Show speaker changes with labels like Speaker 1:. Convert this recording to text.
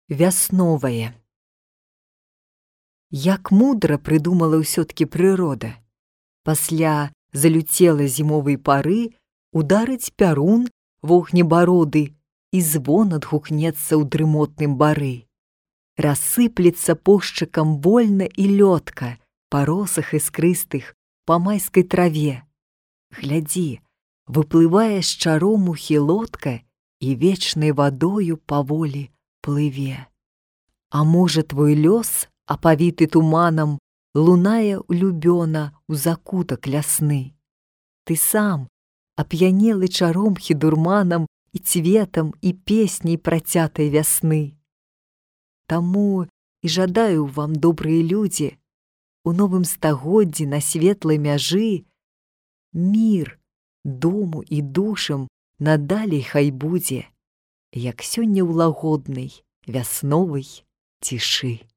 Speaker 1: Вясновае. Як мудра прыдумала ўсё-ткі прырода. Пасля залюцела зімовай пары ударыць пярун вогнебароды, і звон адгукнецца ў дрымотным бары. Рассыплецца пошчыкам вольна і лётка па росах іскрыстых, па майскай траве. Глядзі, выплывае з чаромухі лодка і вечнай вадою паволі плыве. А можа, твой лёс, апавіты туманам, лунае улюбёна ў закутак лясны. Ты сам, ап'янелы чаромхі дурманам і цветам і песняй працятай вясны. Таму і жадаю вам, добрыя людзі, у новым стагоддзі на светлай мяжы мір дому і душам надалей хай будзе, як сёння ў лагоднай вясновай цішы.